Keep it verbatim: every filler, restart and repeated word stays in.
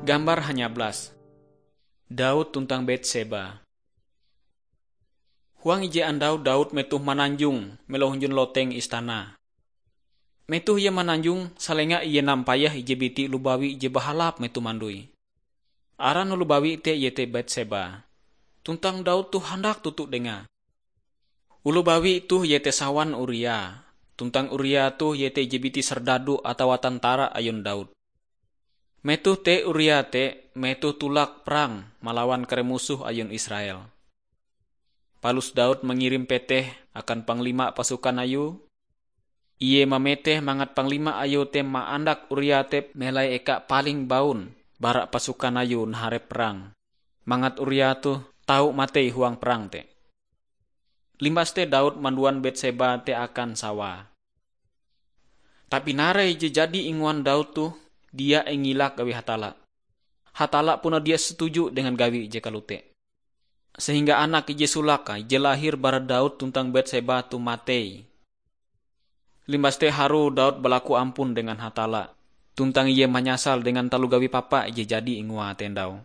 Gambar hanyablas. Daud tuntang Betseba. Huang ije andau Daud metoh mananjong melo hunjun loteng istana. Metoh ie mananjong, salenga ie nampayah ije biti oloh bawi je bahalap metoh mandoi. Aran oloh bawi te iete Betseba. Tuntang Daud toh handak toto dengae. Oloh bawi toh iete sawan Uria, tuntang Uria toh iete ije biti serdadu atawa tentara ayun Daud. Metoh te Uria te metoh tulak perang malawan kare musoh ayun Israel. Palus Daud mangirim peteh akan panglima pasukan ayue. Ie mameteh mangat panglima ayue te maandak Uria te melai eka paling baun bara pasukan ayue naharep perang, mangat Uria toh tau matei huang perang te. Limbas te Daud manduan Betseba te akan sawae. Tapi narai je jadi ingoan Daud toh dia ingilak awi Hatalla. Hatalla puna dia setuju dengan gawi je kalote. Sehingga anak ije solake je lahir bara Daud tuntang Betseba toh matei. Limbas te harue Daud balaku ampun dengan Hatalla, tuntang ie manyasal dengan taloh gawi papa je jadi ingoae te ndau.